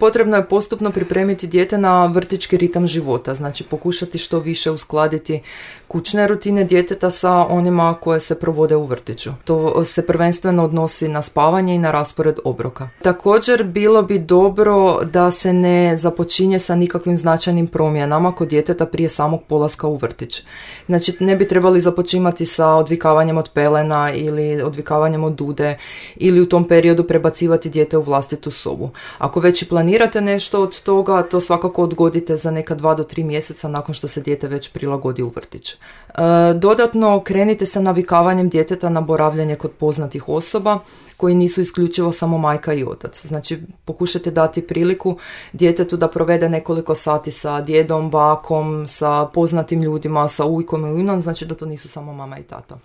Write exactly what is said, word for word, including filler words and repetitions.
potrebno je postupno pripremiti dijete na vrtićki ritam života, znači pokušati što više uskladiti kućne rutine djeteta sa onima koje se provode u vrtiću. To se prvenstveno odnosi na spavanje i na raspored obroka. Također bilo bi dobro da se ne započinje sa nikakvim značajnim promjenama kod djeteta prije samog polaska u vrtić. Znači ne bi trebali započimati sa odvikavanjem od pelena ili odvikavanjem od dude ili u tom periodu prebacivati dijete u vlastitu sobu. Ako već i planirate nešto od toga, to svakako odgodite za neka dva do tri mjeseca nakon što se dijete već prilagodi u vrtić. E, dodatno krenite sa navikavanjem djeteta na boravljanje kod poznatih osoba koji nisu isključivo samo majka i otac. Znači pokušajte dati priliku djetetu da provede nekoliko sati sa djedom, bakom, sa poznatim ljudima, sa ujkom i ujnom, znači da to nisu samo mama i tata.